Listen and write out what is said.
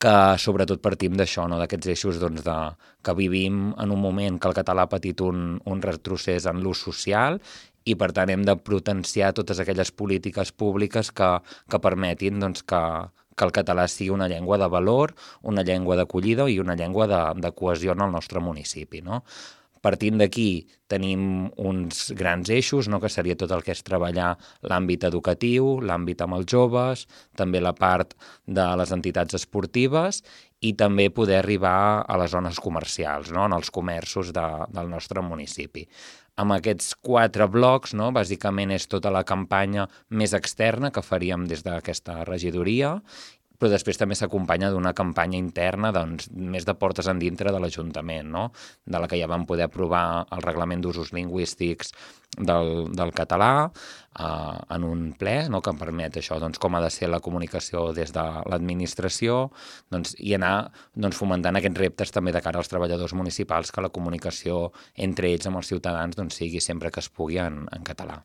que sobretot partim d'això, no? D'aquests eixos que vivim en un moment que el català ha patit un retrocés en l'ús social i per tant hem de potenciar totes aquelles polítiques públiques que permetin que el català sigui una llengua de valor, una llengua d'acollida i una llengua de cohesió en el nostre municipi, no? Partint d'aquí tenim uns grans eixos, no? Que seria tot el que és treballar l'àmbit educatiu, l'àmbit amb els joves, també la part de les entitats esportives i també poder arribar a les zones comercials, no? En els comerços del nostre municipi. Amb aquests 4 blocs, no? Bàsicament és tota la campanya més externa que faríem des d'aquesta regidoria, però després també s'acompanya d'una campanya interna més de portes endintre de l'Ajuntament, no? De la que ja vam poder aprovar el reglament d'usos lingüístics del català en un ple, no? Que em permet això, com ha de ser la comunicació des de l'administració i anar fomentant aquests reptes també de cara als treballadors municipals, que la comunicació entre ells amb els ciutadans sigui sempre que es pugui en català.